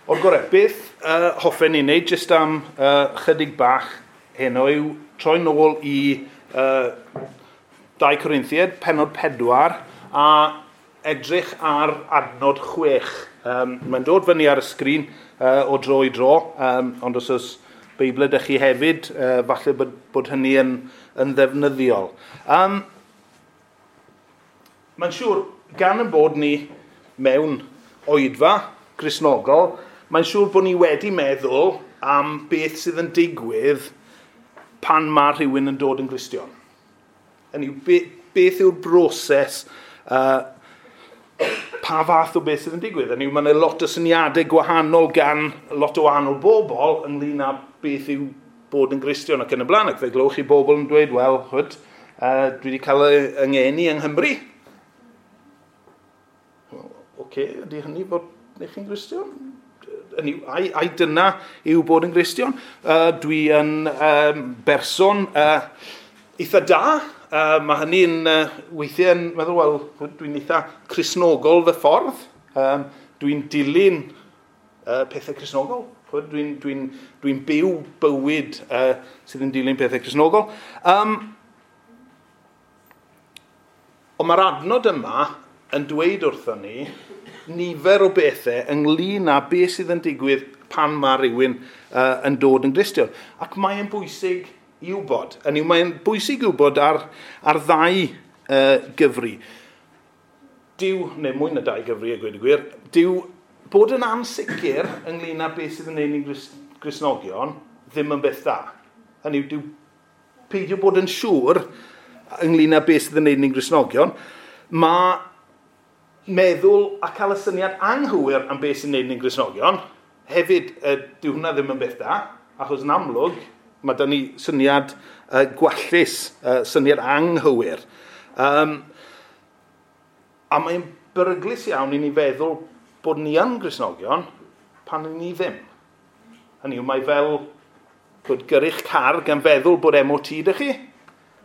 O'r gorau, beth hoffen ni wneud jyst am chydig bach heno yw troi nôl i 2 Corinthiaid, pennod 4, a edrych ar adnod 6. Mae'n dod fyny ar y sgrin o dro i dro, ond os oes Beibl ydych chi hefyd, falle bod hynny yn ddefnyddiol. Mae'n siŵr, gan yn bod ni mewn oedfa Gristnogol, mae'n siŵr bod ni wedi meddwl am beth sydd yn digwydd pan mae rhywun yn dod yn Gristion. Hynny yw, beth yw'r broses, pa fath o beth sydd yn digwydd? Hynny yw, mae yna lot o syniadau gwahanol gan lot o wahanol bobl ynglyn â beth yw bod yn Gristion ac yn y blaen. Ac fe glywch chi bobl yn dweud, wel, chwyd, dwi wedi cael yng ngeni yng Nghymru. Well, oce, ydy hynny bod neu chi'n Gristion? Ai dyna yw bod yn Gristion? Dwi yn berson eitha da. Mae hynny'n weithiau yn meddwl, wel, dwi'n eitha Cristnogol fy ffordd. Dwi'n dilyn pethau Cristnogol. Dwi'n byw bywyd sydd yn dilyn pethau Cristnogol. Ond mae'r adnod yma yn dweud wrthon ni nifer o bethau ynglyn â beth sydd yn digwydd pan mae rhywun yn dod yn Gristion. Ac mae'n bwysig i wybod. Hynny yw, mae'n bwysig i wybod ar ddau gyfri. Dyw, neu mwy na dau gyfri a gweud y gwir, dyw bod yn ansicr ynglyn â beth sydd yn neud ni'n Gristnogion ddim yn beth da. Hynny yw, dyw peidio bod yn siŵr ynglyn â beth sydd yn neud ni'n Gristnogion, mae meddwl a cael y syniad anghywir am beth sy'n neud ni'n Gristnogion, hefyd, dyw hwnna ddim yn beth da, achos yn amlwg, mae da ni syniad gwallus, syniad anghywir. A mae'n beryglus iawn i ni feddwl bod ni yn Gristnogion pan ni ddim. Hynny yw, mae fel bod gyrru'ch car gan feddwl bod MOT ydych chi,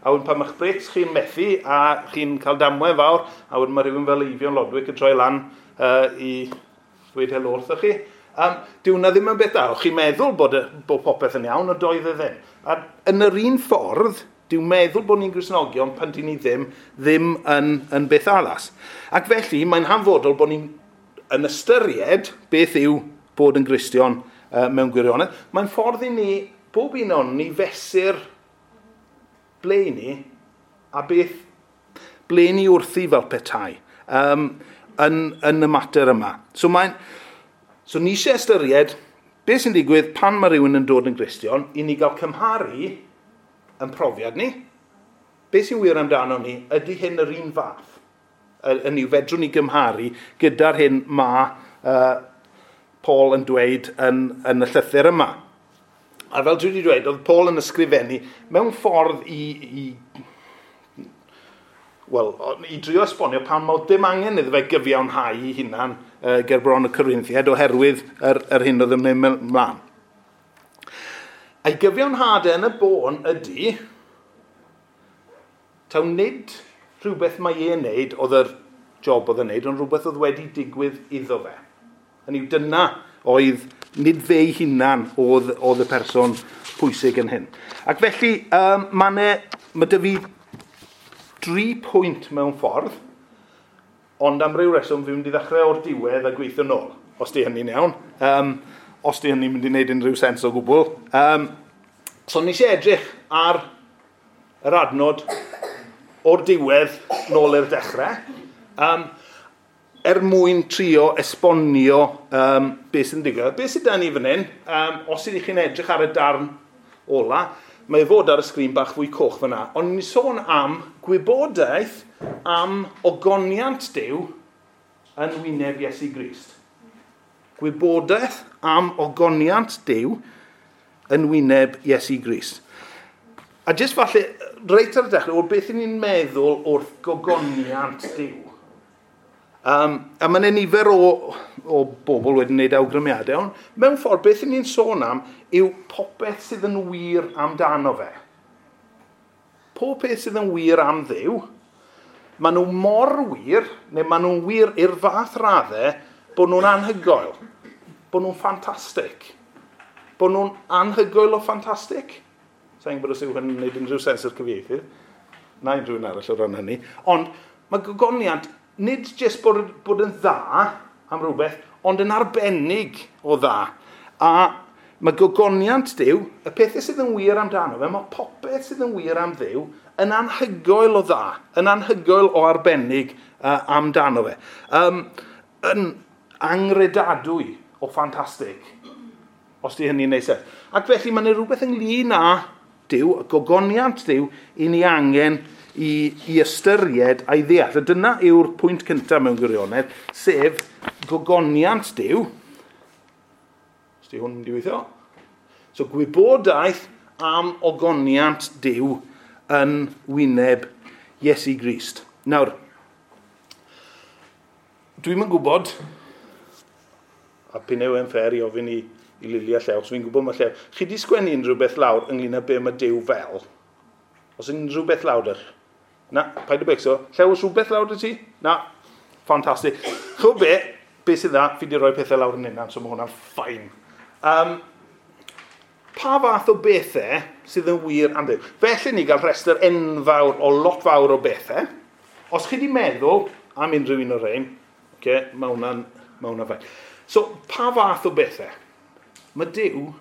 a wedyn pan mae'ch brêcs chi'n methu a chi'n cael damwain fawr, a wedyn mae rhywun fel Eifion Lodwick yn troi lan i ddweud helo wrthoch chi. Dyw hwnna ddim yn beth da. O'ch chi'n meddwl bod popeth yn iawn, ond doedd e ddim. A yn yr un ffordd, dyw meddwl bod ni'n Gristnogion pan dyn ni ddim yn beth addas. Ac felly, mae'n hanfodol bod ni'n yn ystyried beth yw bod yn Gristion mewn gwirionedd. Mae'n ffordd i ni, bob un o'n ni fesur ble i ni a beth ble ni wrthi fel petai yn y mater yma. So ni eisiau ystyried beth sy'n digwydd pan mae rhywun yn dod yn Gristion i ni gael cymharu yn profiad ni. Beth sy'n wir amdano ni, ydy hyn yr un fath? Yn yw fedrwn ni gymharu gyda'r hyn mae Paul yn dweud yn y llythyr yma. A fel dwi wedi dweud, oedd Paul yn ysgrifennu mewn ffordd i drio esbonio pan mae dim angen iddo fe gyfiawnhau ei hunan ger bron y Corinthiaid oherwydd yr hyn oedd yn mynd mlaen. A'i gyfiawnhad yn y bôn ydy, taw nid rhywbeth mae e'n neud oedd yr job oedd yn neud, ond rhywbeth oedd wedi digwydd iddo fe. Hynny yw, dyna oedd nid fe ei hunan oedd y person pwysig yn hyn. Ac felly, mae dy fi 3 pwynt mewn ffordd, ond am ryw reswm fi'n mynd i ddechrau o'r diwedd a gweithio nôl, os di hynny'n iawn. Os di hynny'n mynd i wneud unrhyw sens o gwbl. So nes i edrych ar yr adnod o'r diwedd nôl i'r dechrau, er mwyn trio esbonio beth sy'n digwydd. Beth sydd da ni fan hyn, os ydych chi'n edrych ar y darn ola, mae fod ar y sgrin bach fwy coch fyna, ond ni'n sôn am gwybodaeth am ogoniant Duw yn wyneb Iesu Grist. Gwybodaeth am ogoniant Duw yn wyneb Iesu Grist. A jyst falle, reit ar y dechrau, o beth ni'n meddwl wrth gogoniant Duw. A mae yna nifer o bobl wedi gwneud awgrymiadau, ond mewn ffordd, beth ni'n sôn am yw popeth sydd yn wir amdano fe. Pob peth sydd yn wir am Dduw, maen nhw mor wir, neu maen nhw'n wir i'r fath raddau bod nhw'n anhygoel. Bod nhw'n ffantastig. Bod nhw'n anhygoel o ffantastig. Sa'n gwybod os yw hyn yn gwneud unrhyw sens i'r cyfieithydd. Na unrhyw un arall o ran hynny. Ond mae gogoniant nid jyst bod yn dda am rhywbeth, ond yn arbennig o dda. A mae gogoniant Duw, y pethau sydd yn wir amdano fe, mae popeth sydd yn wir am Dduw yn anhygoel o dda, yn anhygoel o arbennig amdano fe. Yn angredadwy o ffantastig, os di hynny'n neud sens. Ac felly mae'n rhywbeth ynglyn â Duw, gogoniant Duw, i ni angen i ystyried a'i ddeall. A dyna yw'r pwynt cyntaf mewn gwirionedd, sef gogoniant Duw. Os di hwn wedi weithio. So gwybodaeth am ogoniant Duw yn wyneb Iesu Grist. Nawr, dwi'm yn gwybod, a p'un yw e'n fair i ofyn i Lili a Llew, so fi'n gwybod mae Llew. Chi di sgwennu unrhyw beth lawr ynglyn â be mae Duw fel? Os unrhyw beth lawr ydych? Na, paid â becso. Llew, oes rhywbeth lawr 'da ti? Na, ffantastig. Chw be sydd dda, fi di rhoi pethau lawr yn unan, so mae hwnna'n fine. Pa fath o bethau sydd yn wir am Dduw? Felly ni gael rhestr enfawr o lot fawr o bethau. Os chi di meddwl am unrhyw un o'r rhain, okay, mae hwnna'n fine. So, pa fath o bethau? Mae Duw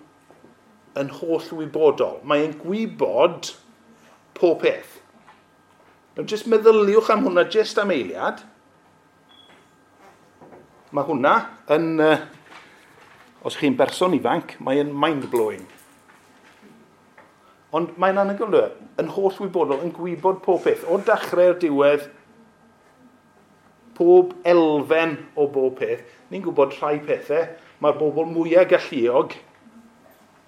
yn holl wybodol. Mae'n gwybod pob peth. Now, jyst meddyliwch am hwnna jyst am eiliad. Mae hwnna yn, os chi'n berson ifanc, mae'n mind-blowing. Ond mae'n anhygoel, yn holl wybodol, yn gwybod pob peth. O dechrau'r diwedd, pob elfen o bob peth. Ni'n gwybod rhai pethau. Mae'r bobl mwyaf galluog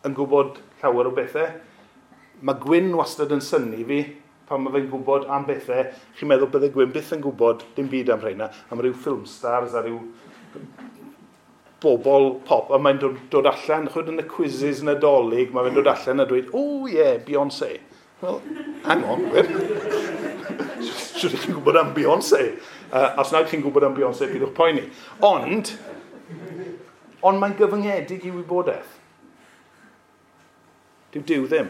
yn gwybod llawer o bethau. Mae Gwyn wastad yn synnu fi pan mae fe'n gwybod am bethau. Chi'n meddwl bydde Gwyn byth yn gwybod dim byd am rheina, am ryw film stars a ryw bobl pop. A mae'n dod allan, chwyd yn y quizzes Nadolig, mae fe'n dod allan a dweud, oh yeah, Beyoncé. Well, hang on, Gwyn. Siwr chi'n gwybod am Beyoncé. Os nad chi'n gwybod am Beyoncé, byddwch poeni. Ond mae'n gyfyngedig i wybodaeth. Dyw Duw ddim.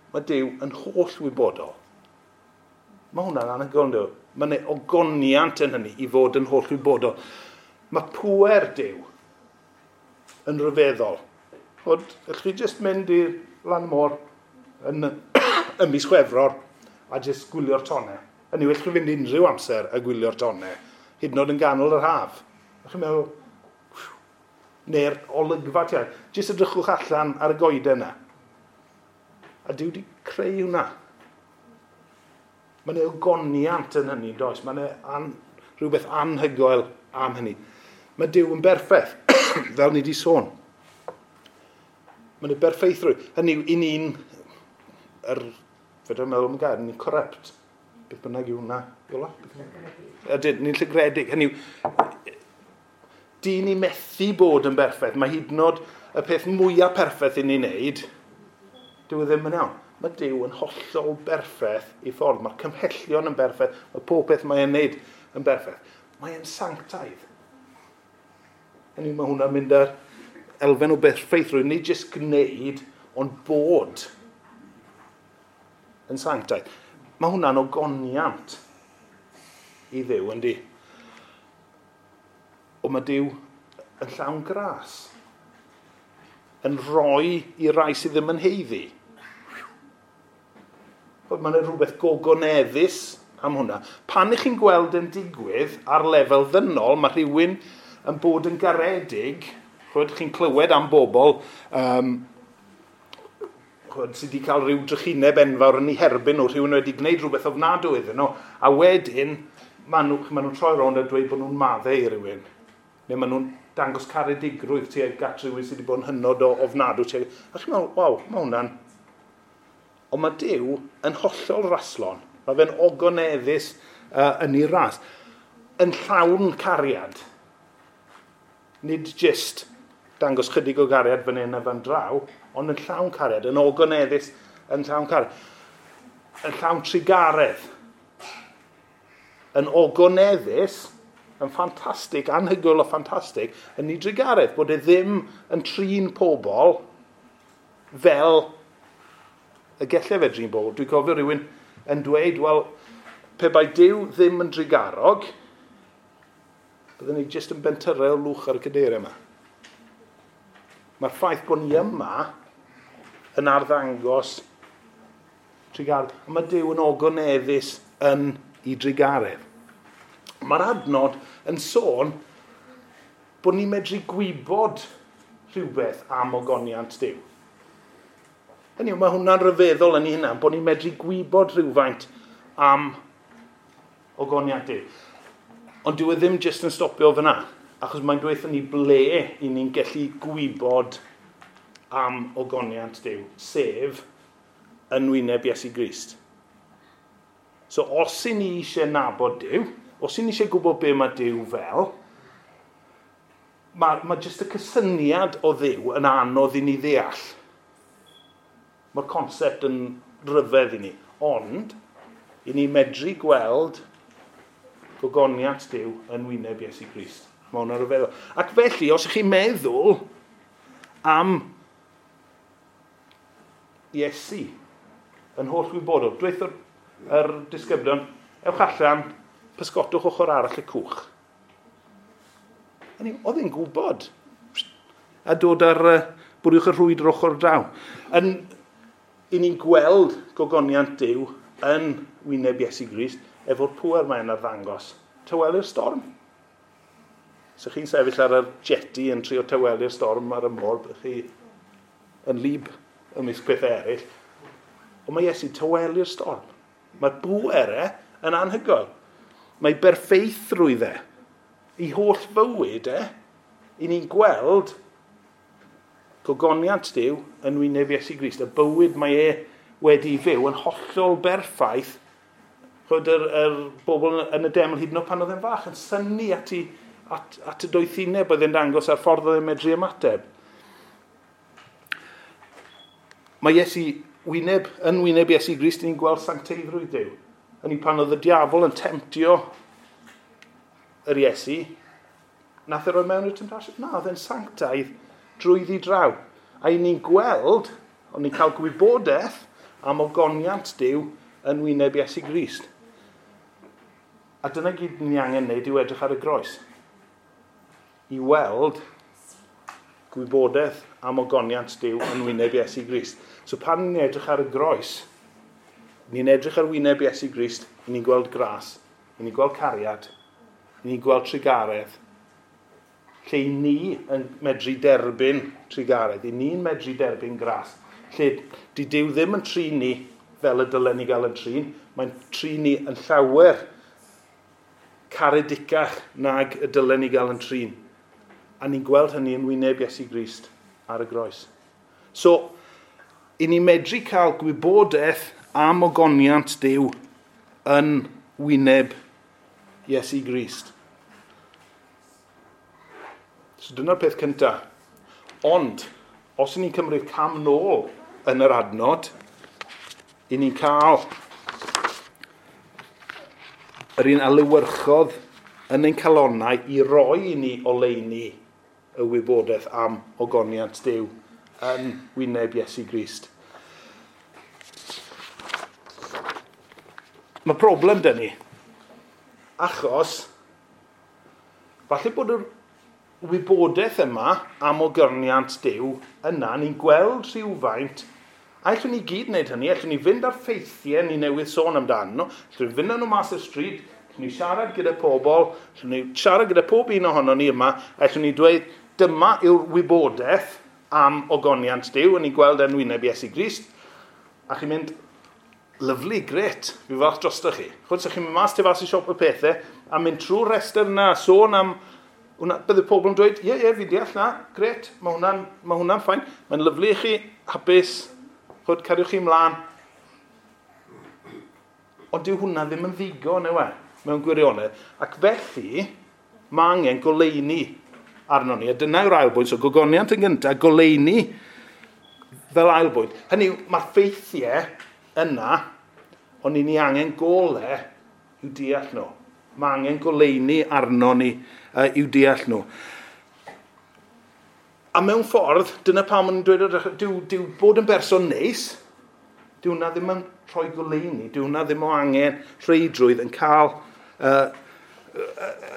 Mae Duw yn holl wybodol. Mae hwnna'n anhygoel, ynddo? Mae yna ogoniant yn hynny i fod yn holl wybodol. Mae pŵer Duw yn rhyfeddol. Allwch chi jyst mynd i'r lan môr yn mis Chwefror a jyst gwylio'r tonnau. Hynny yw, allwch chi fynd unrhyw amser a gwylio'r tonnau, hyd yn oed yn ganol yr haf. Allwch chi'n meddwl, neu'r olygfa ti. Jyst edrychwch allan ar y goeden yna. A Duw wedi creu hwnna. Mae yna ogoniant yn hynny, does? Mae yna rhywbeth anhygoel am hynny. Mae Duw yn berffaith, fel ni wedi sôn. Mae yna berffeithrwydd. Hynny yw, i ni'n, fedra meddwl am y gair, ni'n corrupt. Beth bynnag yw hwnna, Iola? Ydyn, ni'n llygredig. Hynny yw, di ni methu bod yn berffaith. Mae hyd yn oed y peth mwyaf perffaith i ni'n neud, dyw e ddim yn iawn. Mae Duw yn hollol berffaith i ffordd. Mae'r cymhellion yn berffaith. Mae pob peth mae'n neud yn berffaith. Mae'n sanctaidd. Hynny yw, mae hwnna'n mynd ar elfen o berffeithrwydd. Nid jyst gwneud, ond bod yn sanctaidd. Mae hwnna'n ogoniant i Dduw, yndi? Ond mae Duw yn llawn gras. Yn rhoi i rai sydd ddim yn haeddu. Mae yna rhywbeth gogoneddus am hwnna. Pan ych chi'n gweld yn digwydd ar lefel ddynol, mae rhywun yn bod yn garedig, chwyd, chi'n clywed am bobl chwyd, sydd wedi cael rhyw drychineb enfawr yn eu herbyn nhw, rhywun wedi gwneud rhywbeth ofnadwy iddyn nhw, a wedyn maen nhw'n troi rownd a dweud bod nhw'n maddau i rhywun. Neu maen nhw'n dangos caredigrwydd tuag at rhywun sydd wedi bod yn hynod o ofnadwy. A chi'n meddwl, waw, mae hwnna'n... Ond mae Duw yn hollol raslon. Mae fe'n ogoneddus yn ei ras. Yn llawn cariad. Nid jyst dangos chydig o gariad fan hyn a fan draw, ond yn llawn cariad, yn ogoneddus, yn llawn cariad. Yn llawn trugaredd. Yn ogoneddus, yn ffantastig, anhygoel o ffantastig, yn ei drugaredd, bod e ddim yn trin pobl fel y gallai fe drin pobl. Dwi'n cofio rhywun yn dweud, wel, pe bai Duw ddim yn drugarog, byddwn ni jyst yn bentyrau o lwch ar y cadeiriau yma. Mae'r ffaith bod ni yma yn arddangos trugaredd. A mae Duw yn ogoneddus yn ei drugaredd. Mae'r adnod yn sôn bod ni'n medru gwybod rhywbeth am ogoniant Duw. Hynny yw, mae hwnna'n rhyfeddol yn ei hunan, bod ni'n medru gwybod rhywfaint am ogoniant Duw. Ond dyw e ddim jyst yn stopio fyna, achos mae'n dweud ni ble i ni'n gallu gwybod am ogoniant Duw, sef yn wyneb Iesu Grist. So os i ni eisiau nabod Duw, os i ni eisiau gwybod be mae Duw fel, mae jyst y cysyniad o Dduw yn anodd i ni ddeall. Mae'r concept yn rhyfedd i ni, ond i ni medru gweld gogoniant Duw yn wyneb Iesu Grist. Mae hwnna'n rhyfeddol. Ac felly, os ych chi'n meddwl am Iesu yn holl wybodol, dweud yr disgyblion, ewch allan, pysgotwch ochr arall y cwch. Hynny, oedd e'n gwybod. A dod ar bwriwch y rhwyd yr ochr draw. I ni'n gweld gogoniant Duw yn wyneb Iesu Grist efo'r pŵer mae'n arddangos. Tawelu'r storm. So chi'n sefyll ar y jetty yn trio tawelu'r storm ar y môr, byddwch chi yn lib ymysg pethau eraill. Ond mae Iesu tawelu'r storm. Mae'r bŵer e yn anhygoel. Mae berffeithrwydd e. I holl fywyd e, i ni'n gweld gogoniant Duw yn wyneb Iesu Grist. Y bywyd mae e wedi fyw yn hollol berffaith. Chod yr bobl yn y deml hyd yn oed pan oedd e'n fach yn synnu at y doethineb oedd e'n dangos a'r ffordd oedd e'n medru ymateb. Mae Iesu yn wyneb Iesu Grist, ni'n gweld sancteiddrwydd Duw. Hynny pan oedd y diafol yn temtio yr Iesu, nath e roi mewn i'r temtasiwn? Na, oedd e'n sanctaidd drwyddi draw. A i ni'n gweld, ond ni'n cael gwybodaeth am ogoniant Duw yn wyneb Iesu Grist. A dyna gyd ni angen wneud yw edrych ar y groes. I weld gwybodaeth am ogoniant Duw yn wyneb Iesu Grist. So pan ni'n edrych ar y groes, ni'n edrych ar wyneb Iesu Grist, ni'n gweld gras, ni'n gweld cariad, ni'n gweld trugaredd, lle i ni yn medru derbyn trugaredd, i ni'n medru derbyn gras, lle di Duw ddim yn trin ni fel y dylen ni gael yn trin, mae'n trin ni yn llawer caredicach nag y dylen ni gael yn trin. A ni'n gweld hynny yn wyneb Iesu Grist ar y groes. So, i ni medru cael gwybodaeth am ogoniant Duw yn wyneb Iesu Grist. So dyna'r peth cyntaf. Ond, os ni'n cymryd cam nôl yn yr adnod, i ni'n cael yr un alewyrchodd yn ein calonnau i roi i ni oleuni y wybodaeth am ogoniant Duw yn wyneb Iesu Grist. Mae problem dyn ni, achos falle bod yr wybodaeth yma am ogoniant Duw yna, ni'n gweld rhywfaint, a allwn ni gyd wneud hynny, allwn ni fynd ar ffeithiau ni newydd sôn amdano nhw, allwn ni fynd â nhw mas i'r stryd, allwn ni siarad gyda pobl, allwn ni siarad gyda pob un ohono ni yma, allwn ni dweud, dyma yw'r wybodaeth am ogoniant Duw, a ni'n gweld yn wyneb Iesu Grist, a chi'n mynd, lyfli, gret, fi falch drosto chi. Chwyd, so chi'n mynd mas tu fas i siop y pethau, a mynd trwy'r rhestr yna, sôn am, hwnna, bydde pobl yn dweud, ie, fi deall na, gret, mae hwnna'n ffain, mae'n lyfli i chi, hapus, chwyd, cariwch chi ymlaen. Ond dyw hwnna ddim yn ddigon, yw e, mewn gwirionedd. Ac felly, mae angen goleuni arno ni. A dyna yw'r ail bwynt, so gogoniant yn gyntaf, goleuni fel ail bwynt. Hynny yw, mae'r ffeithiau yna, ond ni angen gole i'w deall nhw. Mae angen goleuni arno ni i'w deall nhw. A mewn ffordd, dyna pam maen nhw'n dweud, dyw bod yn berson neis, dyw hwnna ddim yn rhoi goleuni, dyw hwnna ddim o angen rheidrwydd yn cael,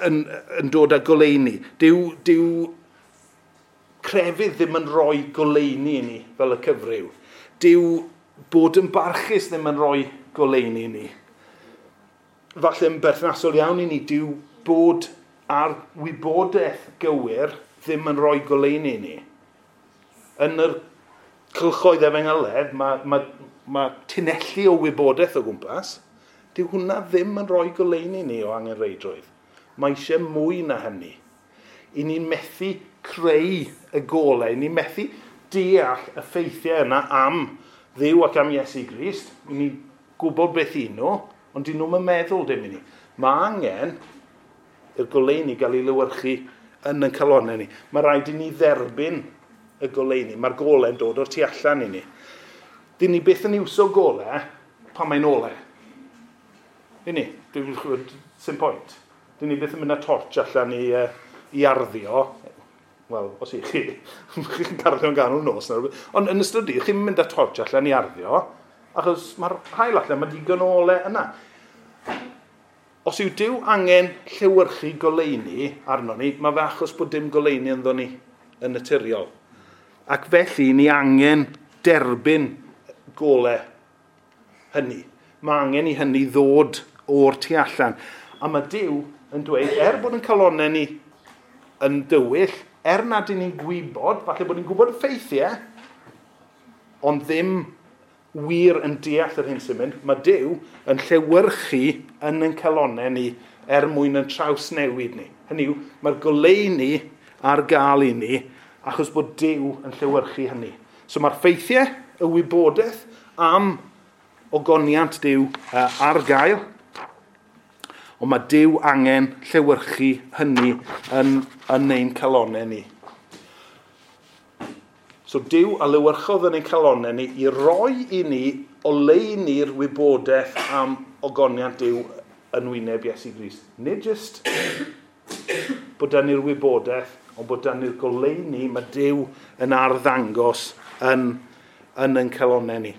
yn dod â goleuni. Dyw crefydd ddim yn rhoi goleuni i ni fel y cyfryw. Dyw bod yn barchus ddim yn rhoi goleuni i ni. Falle yn berthnasol iawn i ni, dyw bod ar wybodaeth gywir ddim yn rhoi goleuni i ni. Yn yr cylchoedd efengyledd, mae tunelli o wybodaeth o gwmpas, dyw hwnna ddim yn rhoi goleuni i ni o angenrheidrwydd. Mae eisiau mwy na hynny. I ni'n methu creu y golau, i ni'n methu deall y ffeithiau yna am Dduw ac am Iesu Grist. I ni'n gwybod beth i nhw, ond dyn nhw'n meddwl dim i ni. Mae angen i'r goleuni gael ei lewyrchu yn ein calonnau ni. Mae rhaid i ni dderbyn y goleuni. Mae'r golau'n dod o'r tu allan i ni. Dyn ni byth yn iwso golau pan mae'n olau. Dyn ni, sim pwynt. Dyn ni byth yn mynd â torch allan i arddio. Wel, os i chi, chi'n garddio yn ganol nos. Ond yn ystod dydd, chi'n mynd â torch allan i arddio, achos mae'r haul allan, mae digon o olau yna. Os yw Duw angen llewyrchu goleuni arno ni, mae fe achos bod dim goleuni ynddo ni yn naturiol. Ac felly, ni angen derbyn golau hynny. Mae angen i hynny ddod o'r tu allan. A mae Duw yn dweud, er bod yn calonnau ni yn dywyll, er nad y'n ni'n gwybod, falle bod ni'n gwybod y ffeithiau, ond ddim wir yn deall yr hyn sy'n mynd, mae Duw yn llewyrchu yn ein calonnau ni er mwyn yn trawsnewid ni. Hynny yw, mae'r goleuni ar gael i ni achos bod Duw yn llewyrchu hynny. So mae'r ffeithiau, y wybodaeth am ogoniant Duw ar gael, ond mae Duw angen llewyrchu hynny yn ein calonnau ni. So Duw a lewyrchodd yn ein calonnau ni i roi i ni oleuni'r wybodaeth am ogoniant Duw yn wyneb Iesu Grist. Nid jyst bod dan ni'r wybodaeth, ond bod dan ni'r goleuni mae Duw yn arddangos yn ein calonnau ni.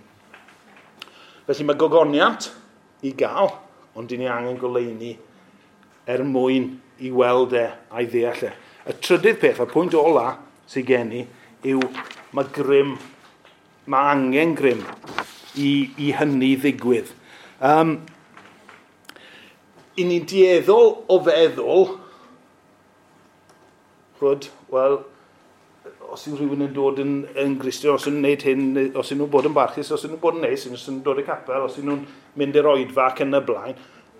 Felly mae gogoniant i gael, ond dyn ni angen goleuni er mwyn i weld e a'i ddeall e. Y trydydd peth, y pwynt ola sydd gen i, yw mae grym, mae angen grym i hynny ddigwydd. I ni'n dueddol o feddwl, wel, os yw rhywun yn dod yn Gristion, os yw'n gwneud hyn, os yw'n nhw'n bod yn barchus, os yw'n nhw'n bod yn neis, os yw'n nhw'n dod i capel, os yw'n nhw'n mynd i'r oedfa ac yn y blaen,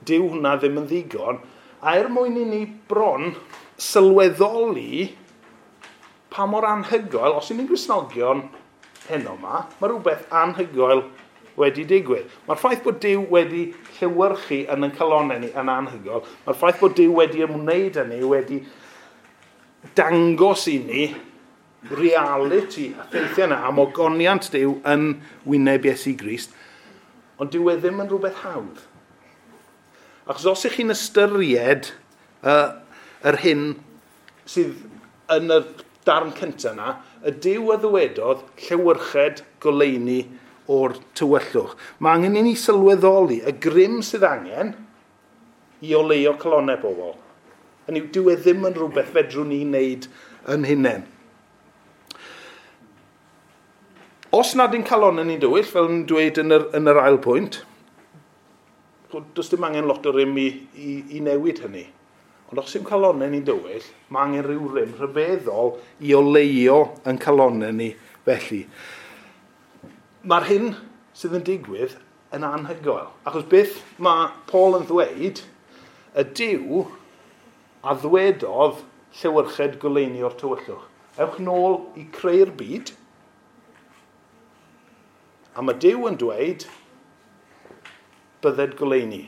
dyw hwnna ddim yn ddigon. A er mwyn i ni bron sylweddoli pa mor anhygoel, os yw'n ni'n Gristnogion heno yma, mae rhywbeth anhygoel wedi digwydd. Mae'r ffaith bod Duw wedi llewyrchu yn ein calonnau ni yn anhygoel. Mae'r ffaith bod Duw wedi ymwneud â ni, wedi dangos i ni reality a ffeithiau yna am ogoniant Duw yn wyneb Iesu Grist, ond dyw e ddim yn rhywbeth hawdd. Achos os ych chi'n ystyried yr hyn sydd yn y darn cyntaf yna, y Duw a ddywedodd llewyrched goleuni o'r tywyllwch. Mae angen i ni sylweddoli y grym sydd angen i oleuo calonnau bobl. Hynny yw, dyw e ddim yn rhywbeth fedrwn ni wneud yn hunain. Os nad y'n calonnau ni'n dywyll, fel yn dweud yn yr ail pwynt, does dim angen lot o rym i newid hynny. Ond os yw'n calonnau ni'n dywyll, mae angen rhyw rym rhyfeddol i oleuo yn calonnau ni felly. Mae'r hyn sydd yn digwydd yn anhygoel. Achos beth mae Paul yn ddweud, y Duw a ddwedodd llewyrched goleuni o'r tywyllwch. Ewch nôl i creu'r byd, a mae Duw yn dweud, bydded goleuni.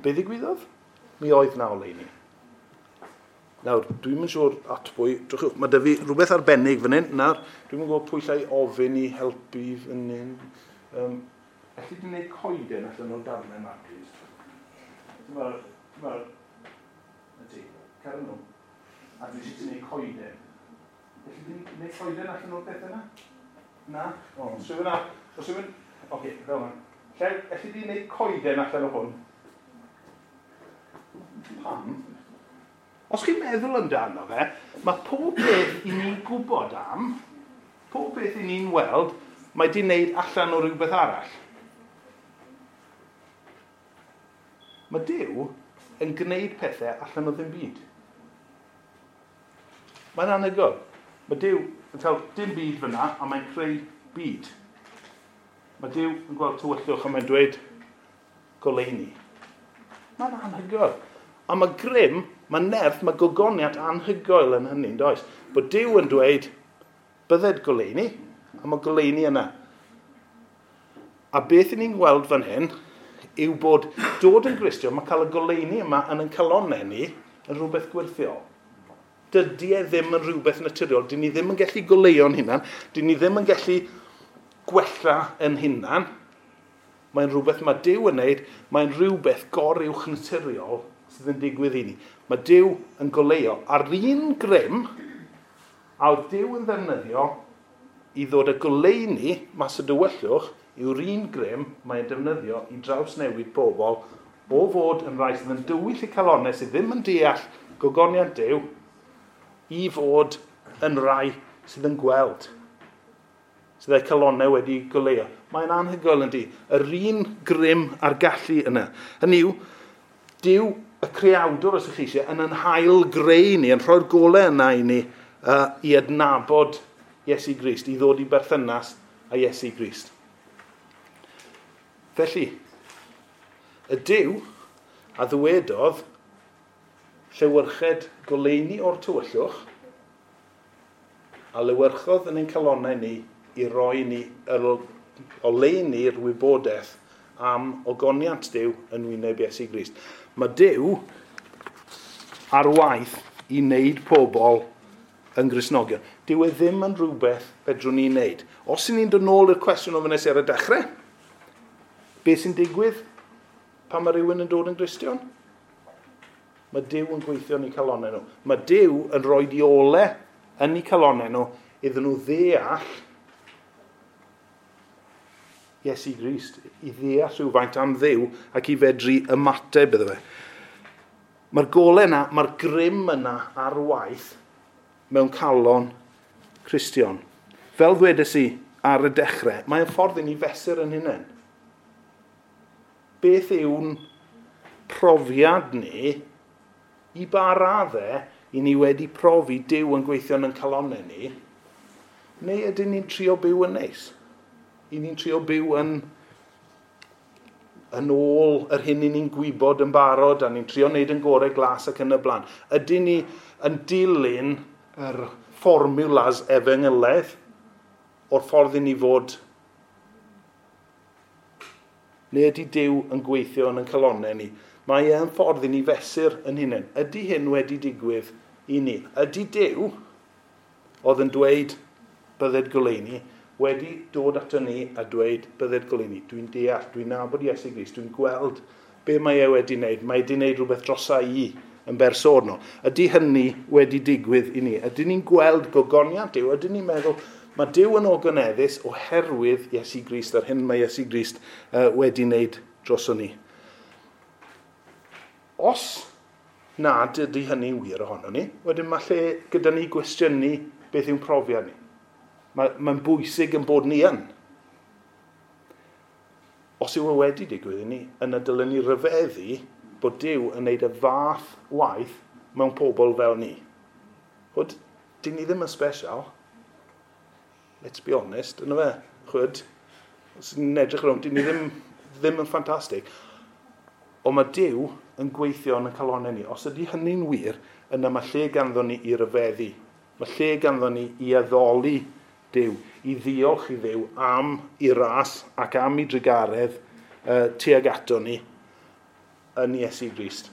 Be ddigwyddodd? Mi oedd na oleuni. Nawr, dwi'm yn siŵr at pwy, drychwch, mae 'da fi rhywbeth arbennig fan hyn. Nawr, dwi'm yn gwybod pwy llai ofyn i helpu fan hyn. Elli di wneud coeden allan o'r darnau yma, please? Wel, y ti, cer nhw. A dwi eisiau ti wneud coeden. Felly ti'n gwneud coeden allan o'r peth yna? Na? O, os rhywun ar... Os rhywun... Oce, fel yna. Lle, elli di wneud coeden allan o hwn? Pam? Os chi'n meddwl amdano fe, mae pob peth i ni'n gwybod am, pob peth i ni'n weld, mae di wneud allan o rhywbeth arall. Mae Duw yn gwneud pethau allan o ddim byd. Mae'n anhygoel. Mae Duw yn cael dim byd fyna a mae'n creu byd. Mae Duw yn gweld tywyllwch a mae'n dweud goleuni. Mae'n anhygoel. A mae grym, mae nerth, mae gogoniant anhygoel yn hynny, does? Bod Duw yn dweud, bydded goleuni, a mae goleuni yna. A beth i ni'n gweld fan hyn yw bod dod yn Gristion, mae cael y goleuni yma yn ein calonnau ni yn rhywbeth gwirthiol. Dydy e ddim yn rhywbeth naturiol. Dyn ni ddim yn gallu goleuo'n hunan. Dyn ni ddim yn gallu gwella yn hunan. Mae'n rhywbeth mae Duw yn wneud. Mae'n rhywbeth goruwch naturiol sydd yn digwydd i ni. Mae Duw yn goleuo. A'r un grym a oedd Duw yn ddefnyddio i ddod â goleuni mas o dywyllwch yw'r un grym mae'n defnyddio i drawsnewid bobl o fod yn rhai sydd yn dywyll eu calonnau sydd ddim yn deall gogoniant Duw i fod yn rhai sydd yn gweld, sydd eu calonnau wedi goleuo. Mae'n anhygoel yn di. Yr un grym a'r gallu yna. Hynny yw, Duw y creawdwr, os ydych chi eisiau, yn yn hail greu ni, yn rhoi'r golau yna i ni i adnabod Iesu Grist, i ddod i berthynas â Iesu Grist. Felly, y Duw a ddywedodd llewyrched goleuni o'r tywyllwch a lewyrchodd yn ein calonnau ni i roi ni yr oleuni'r wybodaeth am ogoniant Duw yn wyneb Iesu Grist. Mae Duw ar waith i wneud pobl yn Gristnogion. Dyw e ddim yn rhywbeth fedrwn ni wneud. Os y'n ni'n dod nôl i'r cwestiwn ofynnes i ar y dechrau, beth sy'n digwydd pan mae rhywun yn dod yn Gristion? Mae Duw yn gweithio yn eu calonnau nhw. Mae Duw yn rhoi diole yn eu calonnau nhw iddyn nhw ddeall Iesu Grist, i ddeall rhywfaint am Dduw ac i fedru ymateb iddo fe. Mae'r golau yna, mae'r grym yna ar waith mewn calon Cristion. Fel ddwedes i ar y dechrau, mae'n ffordd i ni fesur yn hunain. Beth yw'n profiad ni i ba raddau i ni wedi profi Duw yn gweithio yn ein calonnau ni, neu ydyn ni'n trio byw yn neis? I ni'n trio byw yn ôl yr hyn i ni'n gwybod yn barod, a ni'n trio wneud yn gorau glas ac yn y blaen. Ydyn ni yn dilyn yr fformulas efengylaidd o'r ffordd i ni fod? Neu ydy Duw yn gweithio yn ein calonnau ni? Mae e'n ffordd i ni fesur yn hunain. Ydy hyn wedi digwydd i ni? Ydy Duw oedd yn dweud bydded goleuni wedi dod ato ni a dweud bydded goleuni? Dwi'n deall, dwi'n nabod Iesu Grist, dwi'n gweld be mae e wedi wneud. Mae wedi wneud rhywbeth drosa i yn bersonol. Ydy hynny wedi digwydd i ni? Ydy ni'n gweld gogoniant Duw? Ydy ni'n meddwl mae Duw yn ogoneddus oherwydd Iesu Grist a'r hyn mae Iesu Grist wedi wneud droso ni? Os nad ydy hynny'n wir ohono ni, wedyn mae lle gyda ni gwestiynu beth yw'n profiad ni. Mae'n bwysig yn bod ni yn. Os yw e wedi digwydd i ni, yna dylen ni ryfeddu bod Duw yn wneud y fath waith mewn pobl fel ni. Chwyd, dyn ni ddim yn special. Let's be honest, yna fe. Chwyd, os ni'n edrych rownd, dyn ni ddim yn ffantastig. Ond mae Duw yn gweithio yn y calonnau ni. Os ydy hynny'n wir, yna mae lle ganddo ni i ryfeddu. Mae lle ganddo ni i addoli Duw, i ddiolch i Dduw am ei ras ac am ei drugaredd tuag ato ni yn Iesu Grist.